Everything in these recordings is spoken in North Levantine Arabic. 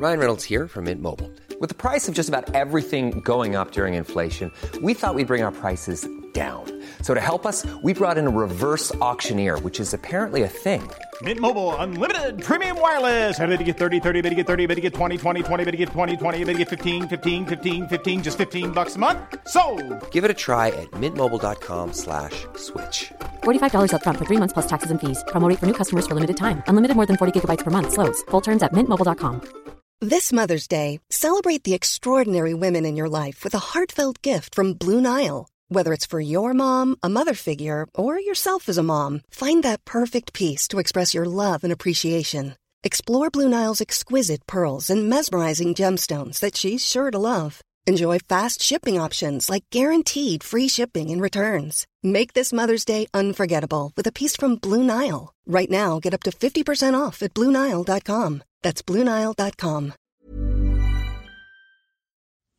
Ryan Reynolds here from Mint Mobile. With the price of just about everything going up during inflation, we thought we'd bring our prices down. So to help us, we brought in a reverse auctioneer, which is apparently a thing. Mint Mobile Unlimited Premium Wireless. How to get 30, 30, bit to get 30, bit to get 20, 20, 20, bit to get 20, 20, bit to get 15, 15, 15, 15, just $15 a month? Sold! Give it a try at mintmobile.com/switch. $45 up front for 3 months plus taxes and fees. Promo rate for new customers for limited time. Unlimited more than 40 gigabytes per month. Slows full terms at mintmobile.com. This Mother's Day, celebrate the extraordinary women in your life with a heartfelt gift from Blue Nile. Whether it's for your mom, a mother figure, or yourself as a mom, find that perfect piece to express your love and appreciation. Explore Blue Nile's exquisite pearls and mesmerizing gemstones that she's sure to love. Enjoy fast shipping options like guaranteed free shipping and returns. Make this Mother's Day unforgettable with a piece from Blue Nile. Right now, get up to 50% off at BlueNile.com. That's BlueNile.com.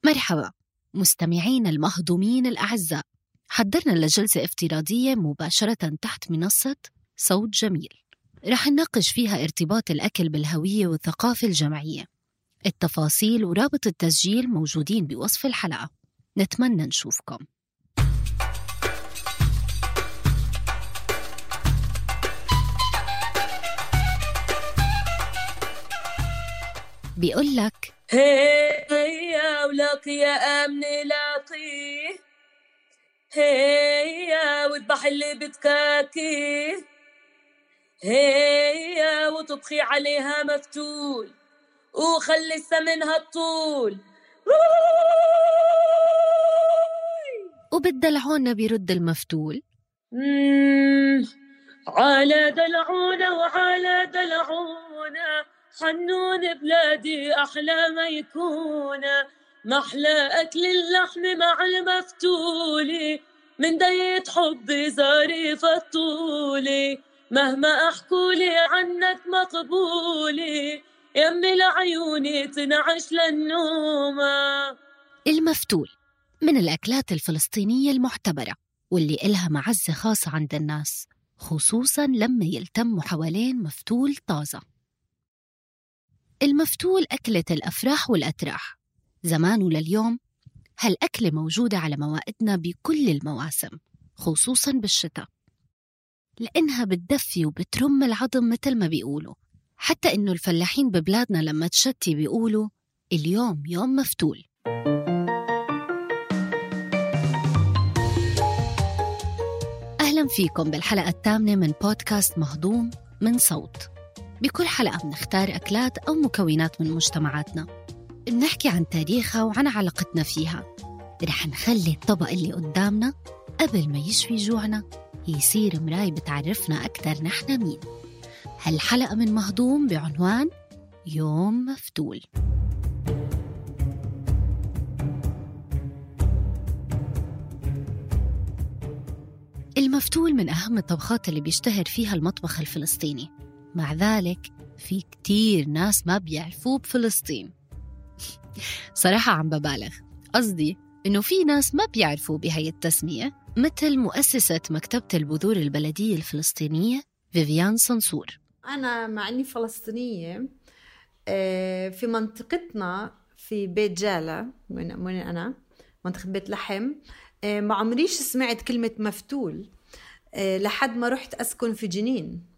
مرحبا مستمعين المهضومين الأعزاء، حضرنا لجلسة افتراضية مباشرة تحت منصة صوت جميل، رح نناقش فيها ارتباط الأكل بالهوية والثقافة الجمعية. التفاصيل ورابط التسجيل موجودين بوصف الحلقة. نتمنى نشوفكم. بيقول لك هيا ولك يا أمن لاقيه، هيا واذبح اللي بتكاكيه، هيا وتطخي عليها مفتول وخلي السمنها الطول. وبالدلعونة بيرد المفتول على دلعونة وعلى دلعونة، حنون بلادي أحلى ما يكون، محلى أكل اللحم مع المفتولي، من ديت حبي ظريف الطولي، مهما أحكولي عنك مقبولي، يمي لعيوني تنعش للنومة. المفتول من الأكلات الفلسطينية المعتبرة واللي إلها معزة خاصة عند الناس، خصوصاً لما يلتموا حوالين مفتول طازة. المفتول أكلة الأفراح والأتراح، زمان ولليوم هالأكلة موجودة على موائدنا بكل المواسم، خصوصاً بالشتاء، لأنها بتدفي وبترم العظم مثل ما بيقولوا. حتى إنه الفلاحين ببلادنا لما تشتي بيقولوا اليوم يوم مفتول. أهلاً فيكم بالحلقة الثامنة من بودكاست مهضوم من صوت. بكل حلقة بنختار أكلات أو مكونات من مجتمعاتنا، بنحكي عن تاريخها وعن علاقتنا فيها. رح نخلي الطبق اللي قدامنا قبل ما يشفي جوعنا يصير مراية بتعرفنا أكتر نحن مين. هالحلقة من مهضوم بعنوان يوم مفتول. المفتول من أهم الطبخات اللي بيشتهر فيها المطبخ الفلسطيني، مع ذلك في كتير ناس ما بيعرفوه بفلسطين. صراحة عم ببالغ، قصدي إنه في ناس ما بيعرفوا بهاي التسمية، مثل مؤسسة مكتبة البذور البلدية الفلسطينية فيفيان صنصور. أنا مع أني فلسطينية، في منطقتنا في بيت جالة من أنا منطقة بيت لحم، ما عمريش سمعت كلمة مفتول لحد ما رحت أسكن في جنين،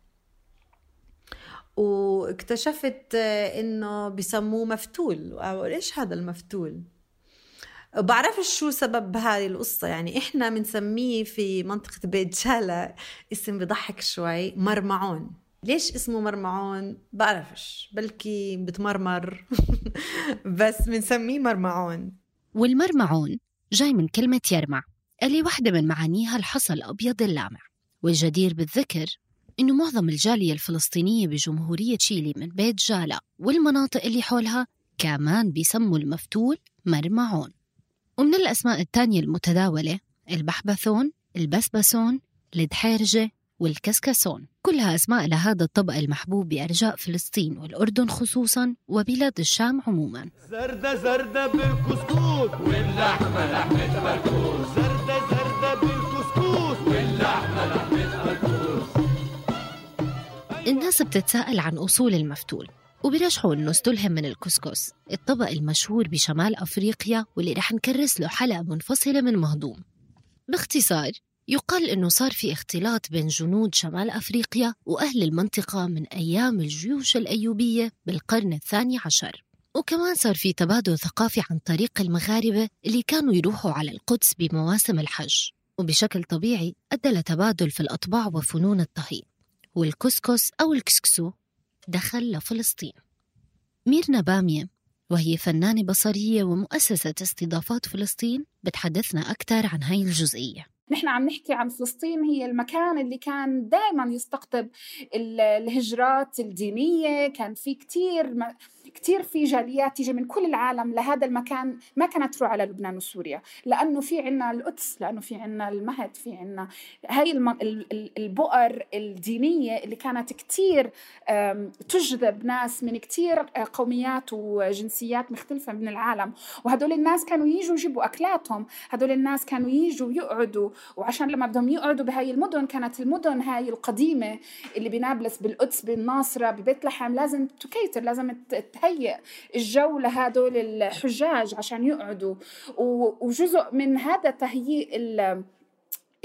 واكتشفت إنه بيسموه مفتول. إيش هذا المفتول؟ بعرفش شو سبب هذه القصة. يعني إحنا بنسميه في منطقة بيت جالة اسم بضحك شوي، مرمعون. ليش اسمه مرمعون؟ بعرفش، بلكي بتمرمر بس بنسميه مرمعون. والمرمعون جاي من كلمة يرمع، اللي واحدة من معانيها الحصى الأبيض اللامع. والجدير بالذكر إنه معظم الجالية الفلسطينية بجمهورية تشيلي من بيت جالة والمناطق اللي حولها كمان بيسموا المفتول مرمعون. ومن الأسماء التانية المتداولة البحبثون، البسبسون، الدحيرجة والكسكسون، كلها أسماء لهذا الطبق المحبوب بأرجاء فلسطين والأردن خصوصاً وبلاد الشام عموماً. زردة زردة بالكسكوس واللحمة لحمة بركوس، زردة زردة بالكسكوس واللحمة لحمة بركوس. الناس بتتساءل عن أصول المفتول، وبيرجحوا إنه استلهم من الكسكس، الطبق المشهور بشمال أفريقيا واللي رح نكرس له حلقة منفصلة من مهضوم. باختصار يقال إنه صار في اختلاط بين جنود شمال أفريقيا وأهل المنطقة من أيام الجيوش الأيوبية بالقرن 12، وكمان صار في تبادل ثقافي عن طريق المغاربة اللي كانوا يروحوا على القدس بمواسم الحج، وبشكل طبيعي أدى لتبادل في الأطباع وفنون الطهي، والكسكس أو الكسكسو دخل لفلسطين. ميرنا بامية وهي فنانة بصرية ومؤسسة استضافات فلسطين بتحدثنا أكثر عن هاي الجزئية. نحن عم نحكي عن فلسطين، هي المكان اللي كان دائما يستقطب الهجرات الدينية، كان في كتير في جاليات تيجي من كل العالم لهذا المكان، ما كانت تروح على لبنان وسوريا، لأنه في عنا القدس، لأنه في عنا المهد، في عنا هاي البؤر الدينية اللي كانت كتير تجذب ناس من كتير قوميات وجنسيات مختلفة من العالم. وهدول الناس كانوا ييجوا يجيبوا أكلاتهم، هدول الناس كانوا ييجوا يقعدوا، وعشان لما بدهم يقعدوا بهاي المدن، كانت المدن هاي القديمة اللي بنابلس، بالقدس، بالناصرة، ببيت لحم، لازم تكيتر، لازم تهيئ الجو لهدول الحجاج عشان يقعدوا. وجزء من هذا تهيئ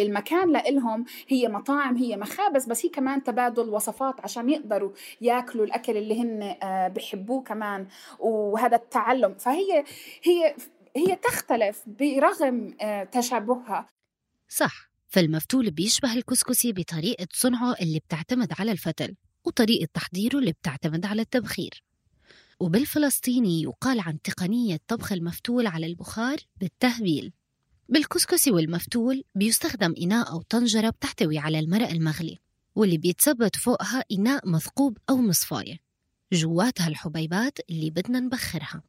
المكان لإلهم هي مطاعم، هي مخابز، بس هي كمان تبادل وصفات عشان يقدروا ياكلوا الأكل اللي هن بيحبوه كمان، وهذا التعلم. فهي تختلف برغم تشابهها. صح، فالمفتول بيشبه الكسكسي بطريقة صنعه اللي بتعتمد على الفتل، وطريقة تحضيره اللي بتعتمد على التبخير. وبالفلسطيني يقال عن تقنية طبخ المفتول على البخار بالتهبيل. بالكسكسي والمفتول بيستخدم إناء أو طنجرة بتحتوي على المرق المغلي، واللي بيتثبت فوقها إناء مثقوب أو مصفاية جواتها الحبيبات اللي بدنا نبخرها.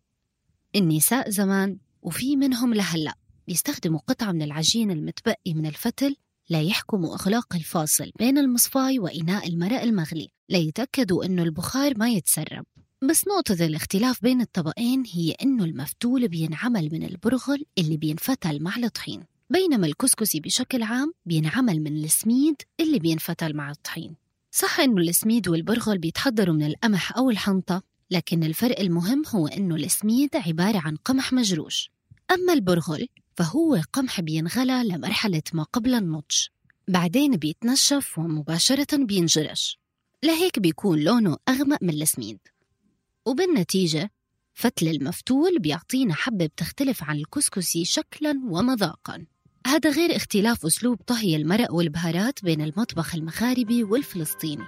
النساء زمان وفي منهم لهلأ بيستخدموا قطعة من العجين المتبقي من الفتل ليحكموا إغلاق الفاصل بين المصفاي وإناء المرق المغلي ليتأكدوا إنه البخار ما يتسرب. بس نقطة الاختلاف بين الطبقين هي إنه المفتول بينعمل من البرغل اللي بينفتل مع الطحين، بينما الكسكسي بشكل عام بينعمل من السميد اللي بينفتل مع الطحين. صح إنه السميد والبرغل بيتحضروا من القمح أو الحنطة، لكن الفرق المهم هو إنه السميد عبارة عن قمح مجروش، أما البرغل فهو قمح بينغلى لمرحلة ما قبل النضج، بعدين بيتنشف ومباشرة بينجرش، لهيك بيكون لونه أغمق من السميد. وبالنتيجة فتل المفتول بيعطينا حبة بتختلف عن الكسكسي شكلاً ومذاقاً. هذا غير اختلاف أسلوب طهي المرق والبهارات بين المطبخ المغاربي والفلسطيني.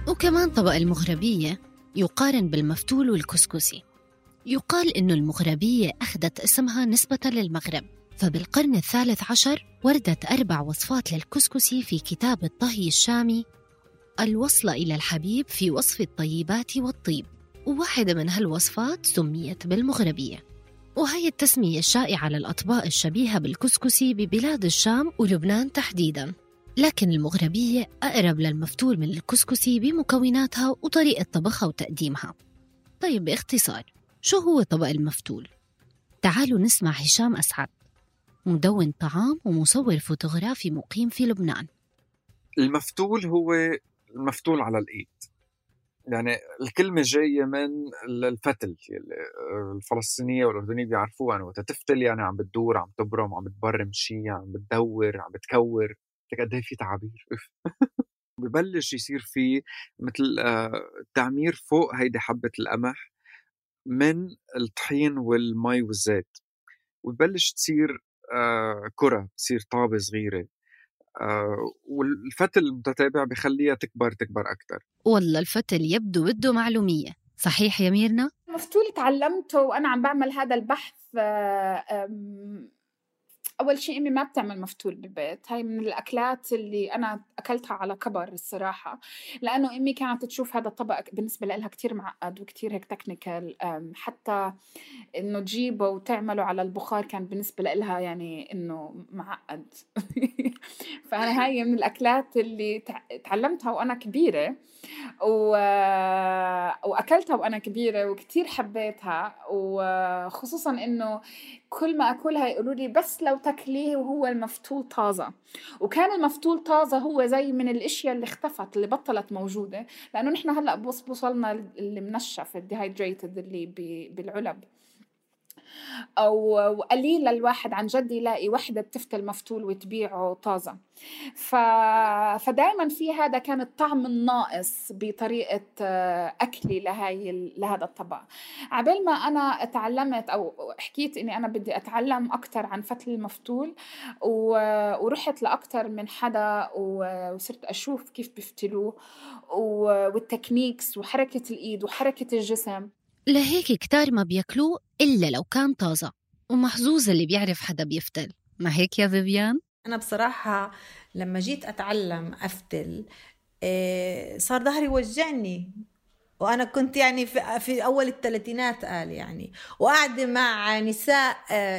وكمان طبق المغربية يقارن بالمفتول والكسكسي. يقال إنه المغربية أخذت اسمها نسبة للمغرب، فبالقرن 13 وردت 4 وصفات للكسكسي في كتاب الطهي الشامي الوصلة إلى الحبيب في وصف الطيبات والطيب، وواحدة من هالوصفات سميت بالمغربية. وهي التسمية الشائعة للأطباق الشبيهة بالكسكسي ببلاد الشام ولبنان تحديداً، لكن المغربية أقرب للمفتول من الكسكسي بمكوناتها وطريقة طبخها وتقديمها. طيب باختصار، شو هو طبق المفتول؟ تعالوا نسمع هشام أسعد، مدون طعام ومصور فوتوغرافي مقيم في لبنان. المفتول هو المفتول على الإيد، يعني الكلمة جاية من الفتل. الفلسطينية والأردنية بيعرفوها، يعني وتتفتل يعني عم بتدور، عم تبرم، عم بتبرم شيء، عم بتدور، عم بتكور. قد ايه في تعابير. ببلش يصير في مثل تعمير فوق هيدي حبة القمح من الطحين والمي والزيت، وببلش تصير كرة، تصير طابة صغيرة، والفتل المتتابع بخليها تكبر أكتر. والله الفتل يبدو بده معلومية، صحيح يا ميرنا؟ المفتول تعلمته وأنا عم بعمل هذا البحث. أول شيء أمي ما بتعمل مفتول بالبيت، هاي من الأكلات اللي أنا أكلتها على كبر الصراحة، لأنه أمي كانت تشوف هذا الطبق بالنسبة لها كتير معقد وكتير هيك تكنيكال، حتى إنه تجيبه وتعمله على البخار كان بالنسبة لها يعني إنه معقد. فأنا هاي من الأكلات اللي تعلمتها وأنا كبيرة وأكلتها وأنا كبيرة وكتير حبيتها، وخصوصاً إنه كل ما أكلها يقولوا لي بس لو تاكليه وهو المفتول طازة. وكان المفتول طازة هو زي من الأشياء اللي اختفت، اللي بطلت موجودة، لأنه نحن هلأ بوصلنا اللي منشف الديهايدريتد اللي بالعلب، أو قليل الواحد عن جد يلاقي وحدة بتفتل مفتول وتبيعه طازة. فدائما في هذا كان الطعم الناقص بطريقة أكلي لهذا الطبق. عبال ما أنا اتعلمت أو حكيت إني أنا بدي أتعلم أكتر عن فتل المفتول، ورحت لأكتر من حدا وصرت أشوف كيف بيفتلوه والتكنيكس وحركة الإيد وحركة الجسم. لهيك كتار ما بياكلوه إلا لو كان طازة، ومحظوظ اللي بيعرف حدا بيفتل. ما هيك يا فيفيان؟ أنا بصراحة لما جيت أتعلم أفتل صار ظهري وجعني، وأنا كنت يعني في أول الثلاثينات يعني، وقاعدة مع نساء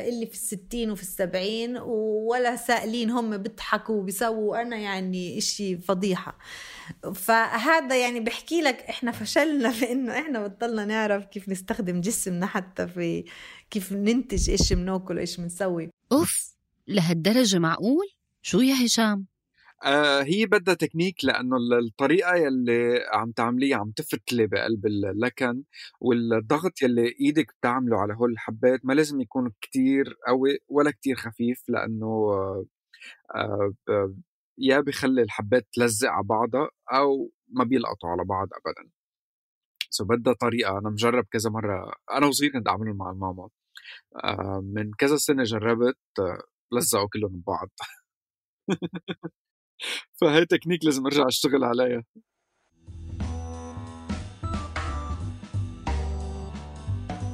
اللي في 60 وفي 70 ولا سائلين، هم بيضحكوا وبيسووا، أنا يعني إشي فضيحة. فهذا يعني بحكي لك إحنا فشلنا في إنه إحنا بطلنا نعرف كيف نستخدم جسمنا، حتى في كيف ننتج إيش بناكل وإيش بنسوي. أوف، لهالدرجة معقول؟ شو يا هشام؟ هي بدها تكنيك، لأنه الطريقة يلي عم تعمليه عم تفتلي بقلب اللكن، والضغط يلي إيدك بتعمله على هول الحبات ما لازم يكون كتير قوي ولا كتير خفيف، لأنه يا بيخلي الحبات تلزق على بعضها أو ما بيلقطوا على بعض أبدا. بدها طريقة. أنا مجرب كذا مرة، أنا وصغير كنت أعمله مع الماما، من كذا سنة جربت لزقوا كلهم ببعض. فهي تكنيك لازم أرجع أشتغل عليها.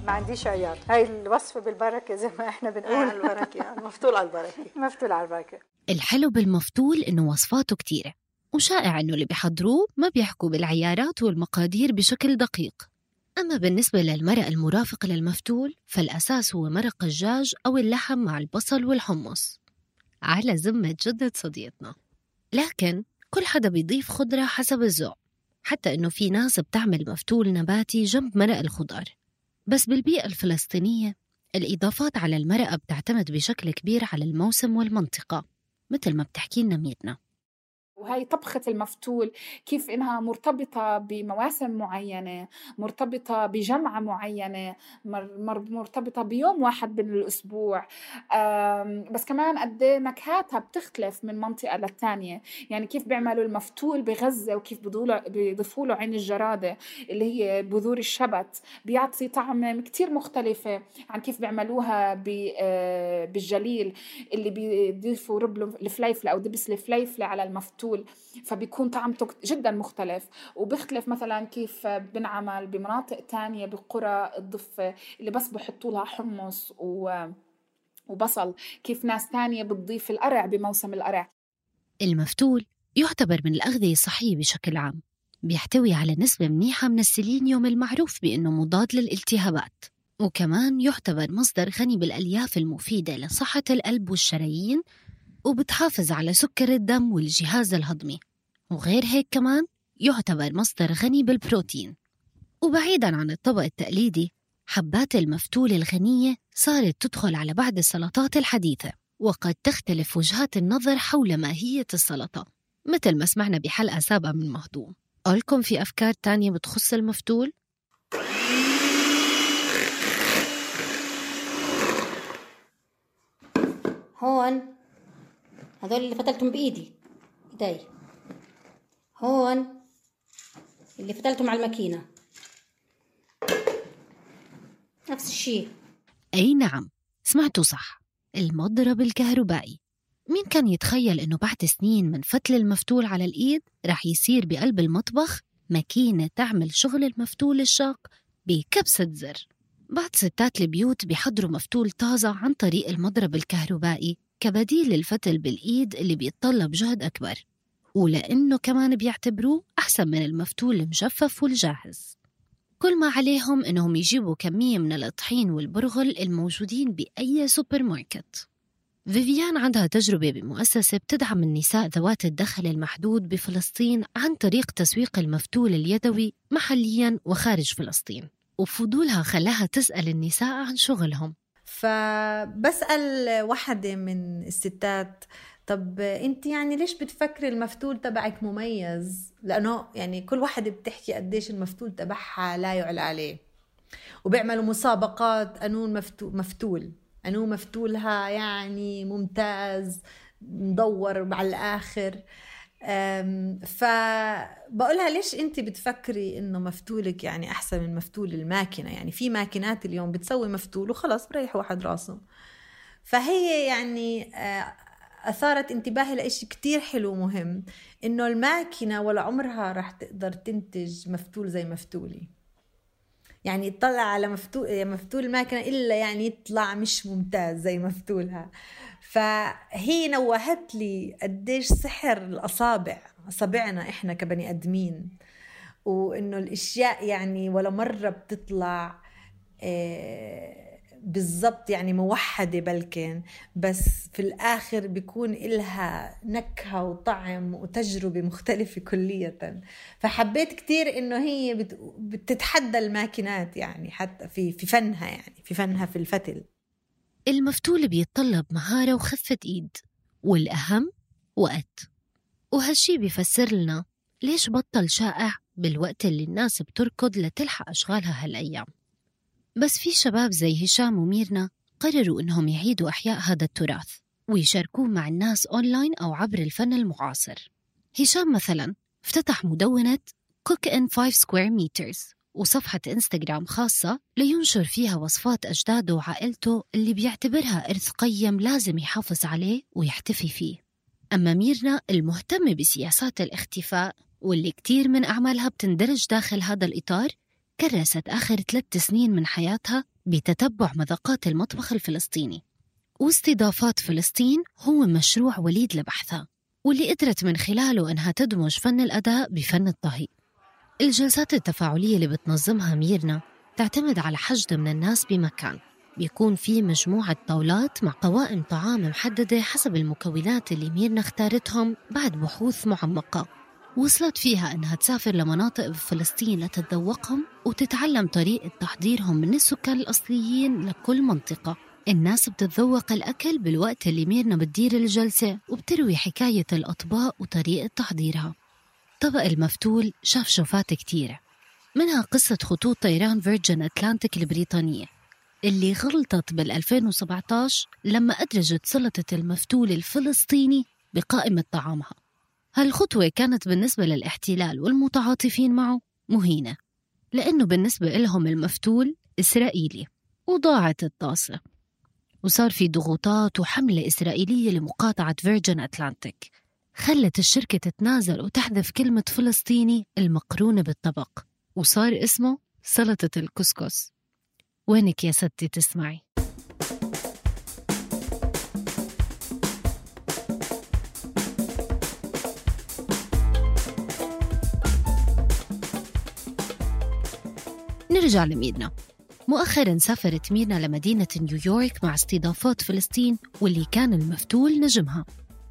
ما عنديش عيار، هاي الوصفة بالبركة زي ما احنا بنقول. على البركة يعني، مفتول على البركة. مفتول على البركة. الحلو بالمفتول إنه وصفاته كتيرة، وشائع إنه اللي بيحضروه ما بيحكوا بالعيارات والمقادير بشكل دقيق. أما بالنسبة للمرق المرافق للمفتول فالأساس هو مرق الدجاج أو اللحم مع البصل والحمص على ذمة جدة صديقتنا. لكن كل حدا بيضيف خضرة حسب الذوق، حتى إنه في ناس بتعمل مفتول نباتي جنب مرق الخضار. بس بالبيئة الفلسطينية الإضافات على المرقة بتعتمد بشكل كبير على الموسم والمنطقة، مثل ما بتحكي لنا ميرنا. وهي طبخة المفتول كيف إنها مرتبطة بمواسم معينة، مرتبطة بجمعة معينة، مرتبطة بيوم واحد من الأسبوع. بس كمان قد نكهاتها بتختلف من منطقة للتانية. يعني كيف بيعملوا المفتول بغزة وكيف بيضيفوا له عين الجرادة اللي هي بذور الشبت، بيعطي طعم كتير مختلفة عن كيف بيعملوها بالجليل اللي بيضيفوا ربل الفليفلة أو دبس الفليفلة على المفتول، فبيكون طعمته جدا مختلف. وبيختلف مثلا كيف بنعمل بمناطق تانية بالقرى الضفة اللي بس بحطوا لها حمص وبصل، كيف ناس تانية بتضيف القرع بموسم القرع. المفتول يعتبر من الأغذية الصحية بشكل عام، بيحتوي على نسبة منيحة من السيلينيوم المعروف بأنه مضاد للالتهابات، وكمان يعتبر مصدر غني بالألياف المفيدة لصحة القلب والشرايين، وبتحافظ على سكر الدم والجهاز الهضمي. وغير هيك كمان يعتبر مصدر غني بالبروتين. وبعيداً عن الطبق التقليدي، حبات المفتول الغنية صارت تدخل على بعض السلطات الحديثة، وقد تختلف وجهات النظر حول ماهية السلطة، مثل ما سمعنا بحلقة سابقة من مهضوم. قولكم في أفكار تانية بتخص المفتول؟ هون هذول اللي فتلتهم بإيدي هون اللي فتلتهم على الماكينة نفس الشيء. أي نعم، سمعتوا صح، المضرب الكهربائي. مين كان يتخيل إنه بعد سنين من فتل المفتول على الإيد رح يصير بقلب المطبخ ماكينة تعمل شغل المفتول الشاق بكبسة زر. بعض ستات البيوت بيحضروا مفتول طازة عن طريق المضرب الكهربائي كبديل للفتل بالإيد اللي بيتطلب جهد أكبر، ولأنه كمان بيعتبروه أحسن من المفتول المجفف والجاهز. كل ما عليهم إنهم يجيبوا كمية من الطحين والبرغل الموجودين بأي سوبر ماركت. فيفيان عندها تجربة بمؤسسة بتدعم النساء ذوات الدخل المحدود بفلسطين عن طريق تسويق المفتول اليدوي محلياً وخارج فلسطين، وفضولها خلاها تسأل النساء عن شغلهم. فبسأل واحدة من الستات طب انت يعني ليش بتفكري المفتول تبعك مميز؟ لأنه يعني كل واحدة بتحكي قديش المفتول تبعها لا يعلى عليه، وبيعملوا مسابقات قانون مفتول، قانون مفتولها يعني ممتاز مدور على الآخر. فبقولها ليش انت بتفكري انه مفتولك يعني احسن من مفتول الماكينة؟ يعني في ماكينات اليوم بتسوي مفتول وخلاص بريح واحد راسه. فهي يعني أثارت انتباهي لإشي كتير حلو مهم، إنه الماكينة ولا عمرها رح تقدر تنتج مفتول زي مفتولي. يعني يطلع على مفتول الماكينة إلا يعني يطلع مش ممتاز زي مفتولها. فهي نوهت لي قديش سحر الأصابع، أصابعنا إحنا كبني أدمين، وإنه الأشياء يعني ولا مرة بتطلع بالضبط يعني موحدة بلكن، بس في الآخر بيكون إلها نكهة وطعم وتجربة مختلفة كلية. فحبيت كتير إنه هي بتتحدى الماكينات يعني حتى في فنها، يعني في فنها في الفتل. المفتول بيتطلب مهارة وخفة إيد، والأهم وقت، وهالشي بيفسر لنا ليش بطل شائع بالوقت اللي الناس بتركض لتلحق أشغالها هالأيام. بس في شباب زي هشام وميرنا قرروا إنهم يعيدوا إحياء هذا التراث ويشاركوه مع الناس أونلاين أو عبر الفن المعاصر. هشام مثلاً افتتح مدونة Cook in 5 Square Meters وصفحة إنستغرام خاصة لينشر فيها وصفات أجداده وعائلته اللي بيعتبرها إرث قيم لازم يحافظ عليه ويحتفي فيه. أما ميرنا المهتمة بسياسات الاختفاء واللي كتير من أعمالها بتندرج داخل هذا الإطار، كرست آخر 3 سنين من حياتها بتتبع مذاقات المطبخ الفلسطيني، واستضافات فلسطين هو مشروع وليد لبحثها، واللي قدرت من خلاله أنها تدمج فن الأداء بفن الطهي. الجلسات التفاعلية اللي بتنظمها ميرنا تعتمد على حشد من الناس بمكان بيكون فيه مجموعة طاولات مع قوائم طعام محددة حسب المكونات اللي ميرنا اختارتهم بعد بحوث معمقة. وصلت فيها أنها تسافر لمناطق بفلسطين لتتذوقهم وتتعلم طريقة تحضيرهم من السكان الأصليين لكل منطقة. الناس بتتذوق الأكل بالوقت اللي ميرنا بتدير الجلسة وبتروي حكاية الأطباق وطريقة تحضيرها. طبق المفتول شاف شوفات كتيرة، منها قصة خطوط طيران فيرجن أتلانتيك البريطانية اللي غلطت بال2017 لما أدرجت سلطة المفتول الفلسطيني بقائمة طعامها. هالخطوة كانت بالنسبة للاحتلال والمتعاطفين معه مهينة، لأنه بالنسبة لهم المفتول إسرائيلي، وضاعت الطاسة وصار في ضغوطات وحملة إسرائيلية لمقاطعة فيرجن أتلانتيك خلت الشركة تتنازل وتحذف كلمة فلسطيني المقرونة بالطبق، وصار اسمه سلطة الكسكس. وينك يا ستي تسمعي؟ نرجع لميرنا. مؤخراً سافرت ميرنا لمدينة نيويورك مع استضافات فلسطين واللي كان المفتول نجمها.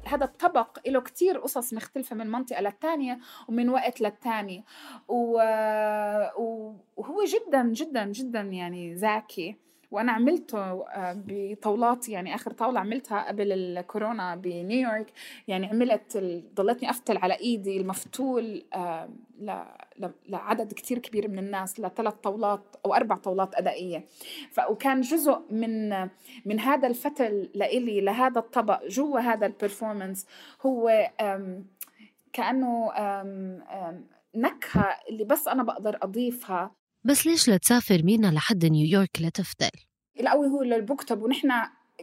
هذا الطبق له كتير قصص مختلفة من منطقة للتانية ومن وقت للتاني، وهو جدا جدا جدا يعني ذكي. وأنا عملته بطاولات، يعني آخر طاولة عملتها قبل الكورونا بنيويورك، يعني ضلتني أفتل على إيدي المفتول لعدد كتير كبير من الناس، ل3 طاولات أو 4 طاولات أدائية. وكان جزء من هذا الفتل لإلي لهذا الطبق جوا هذا البرفورمانس هو كأنه نكهة اللي بس أنا بقدر أضيفها. بس ليش لتسافر ميرنا لحد نيويورك لتفتل؟ الأول هو للبكتب، ونحن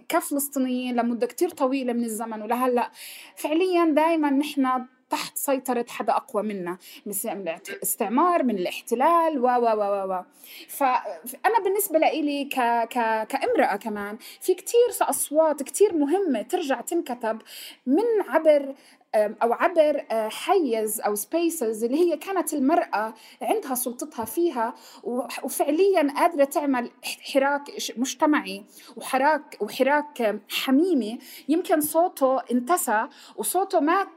كفلسطينيين لمدة كتير طويلة من الزمن ولهلأ فعليا دايما نحن تحت سيطرة حدا أقوى منا، من الاستعمار، من الاحتلال فأنا بالنسبة لي كامرأة كمان في كتير أصوات كتير مهمة ترجع تنكتب من عبر حيز أو سبيسز اللي هي كانت المرأة عندها سلطتها فيها وفعليا قادرة تعمل حراك مجتمعي وحراك حميمي. يمكن صوته انتسى وصوته ما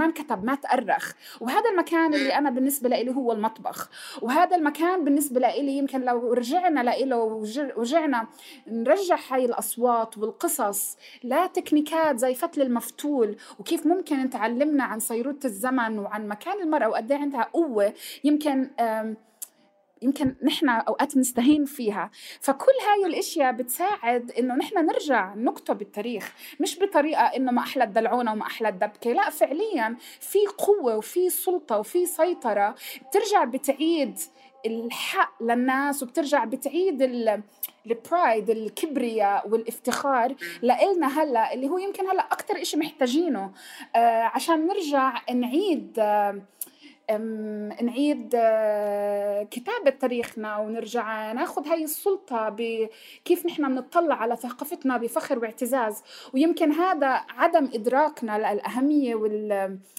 انكتب، ما تأرخ. وهذا المكان اللي أنا بالنسبة لي هو المطبخ، وهذا المكان بالنسبة لي يمكن لو رجعنا له ورجعنا نرجع هاي الأصوات والقصص لا تكنيكات زي فتل المفتول وكيف ممكن نتعلمنا عن صيرورة الزمن وعن مكان المرأة وقد عندها قوة يمكن نحن أوقات نستهين فيها. فكل هاي الاشياء بتساعد إنه نحن نرجع نكتب التاريخ، مش بطريقة إنه ما أحلى الدلعونة وما أحلى الدبكة، لا فعليا في قوة وفي سلطة وفي سيطرة بترجع بتعيد الحق للناس وبترجع بتعيد البرايد، الكبرياء والافتخار لإلنا هلأ، اللي هو يمكن هلأ أكتر إشي محتاجينه عشان نرجع نعيد كتابة تاريخنا ونرجع ناخد هاي السلطة بكيف نحن نطلع على ثقافتنا بفخر واعتزاز. ويمكن هذا عدم إدراكنا للأهمية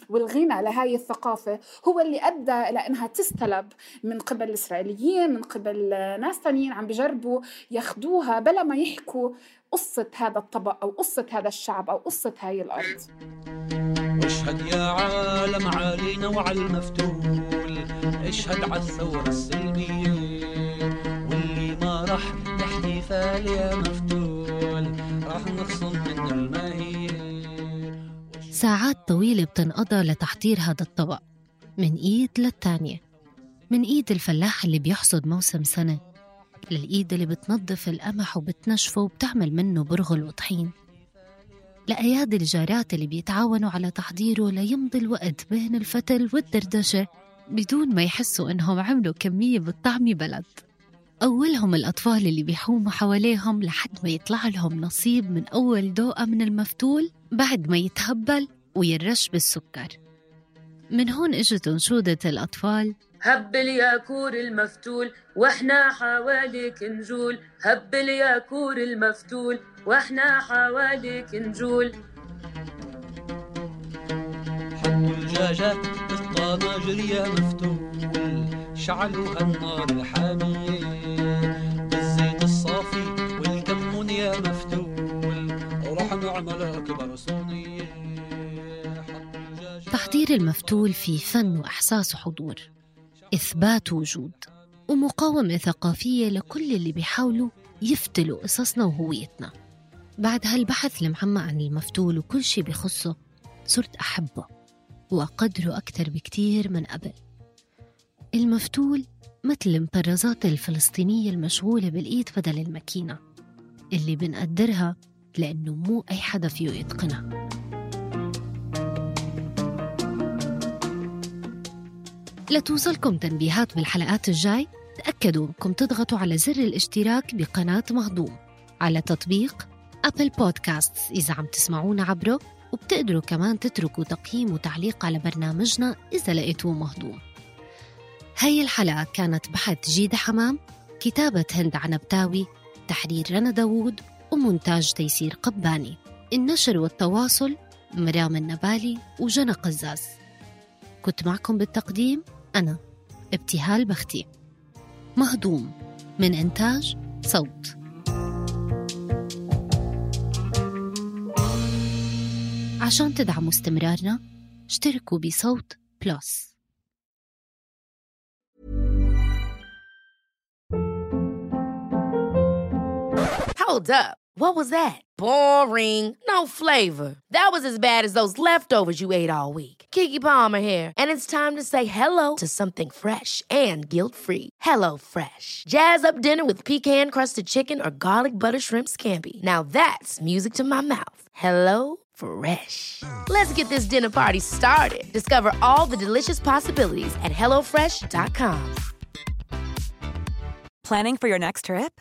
والغنى لهاي الثقافة هو اللي أدى إلى أنها تستلب من قبل الإسرائيليين، من قبل ناس تانيين عم بيجربوا ياخدوها بلا ما يحكوا قصة هذا الطبق أو قصة هذا الشعب أو قصة هاي الأرض. اشهد يا عالم علينا وعلى المفتول، اشهد على الثورة السلمية واللي ما رح احتفال يا مفتول رح نخصم من الماهية. ساعات طويلة بتنقضى لتحضير هذا الطبق، من إيد للتانية، من إيد الفلاح اللي بيحصد موسم سنة للإيد اللي بتنظف القمح وبتنشفه وبتعمل منه برغل وطحين، لأيادي الجارات اللي بيتعاونوا على تحضيره ليمضي الوقت بين الفتل والدردشة بدون ما يحسوا إنهم عملوا كمية بالطعم بلد. أولهم الأطفال اللي بيحوموا حواليهم لحد ما يطلع لهم نصيب من أول دوقة من المفتول بعد ما يتهبل ويرش بالسكر. من هون اجت انشودة الأطفال: هبل يا كور المفتول واحنا حواليك نجول، هبل يا كور المفتول واحنا حواليك نجول. حطوا الدجاجة بالطناجر يا مفتول، شعلوا هالنار الحامية بالزيت الصافي والكمون يا مفتول، ورح نعمل أكبر صينية. تحضير المفتول في فن وإحساس وحضور، إثبات وجود ومقاومة ثقافية لكل اللي بيحاولوا يفتلوا قصصنا وهويتنا. بعد هالبحث المعمق عن المفتول وكل شي بخصه صرت أحبه وأقدره أكتر بكتير من قبل. المفتول مثل المطرزات الفلسطينية المشغولة بالإيد بدل الماكينة اللي بنقدرها لأنه مو أي حدا فيه يتقنها. لتوصلكم تنبيهات بالحلقات الجاي تأكدوا أنكم تضغطوا على زر الاشتراك بقناة مهضوم على تطبيق أبل بودكاست إذا عم تسمعونا عبره، وبتقدروا كمان تتركوا تقييم وتعليق على برنامجنا إذا لقيتوه مهضوم. هاي الحلقة كانت بحث جيدة حمام، كتابة هند عنبتاوي، تحرير رنا داوود، ومونتاج تيسير قباني. النشر والتواصل مرام النبالي وجنى قزاز. كنت معكم بالتقديم أنا ابتهال بختي. مهضوم من إنتاج صوت. عشان تدعموا استمرارنا اشتركوا بصوت بلس. Hold up. What was that? Boring. No flavor. That was as bad as those leftovers you ate all week. Keke Palmer here, and it's time to say hello to something fresh and guilt-free. Hello Fresh. Jazz up dinner with pecan-crusted chicken or garlic butter shrimp scampi. Now that's music to my mouth. Hello Fresh. Let's get this dinner party started. Discover all the delicious possibilities at HelloFresh.com. Planning for your next trip?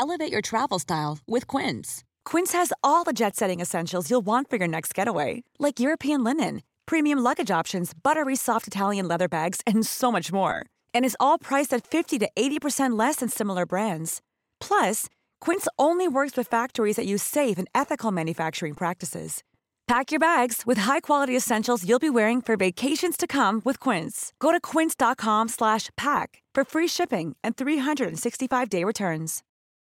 Elevate your travel style with Quince. Quince has all the jet-setting essentials you'll want for your next getaway, like European linen, premium luggage options, buttery soft Italian leather bags, and so much more. And is all priced at 50 to 80% less than similar brands. Plus, Quince only works with factories that use safe and ethical manufacturing practices. Pack your bags with high-quality essentials you'll be wearing for vacations to come with Quince. Go to quince.com/pack for free shipping and 365-day returns.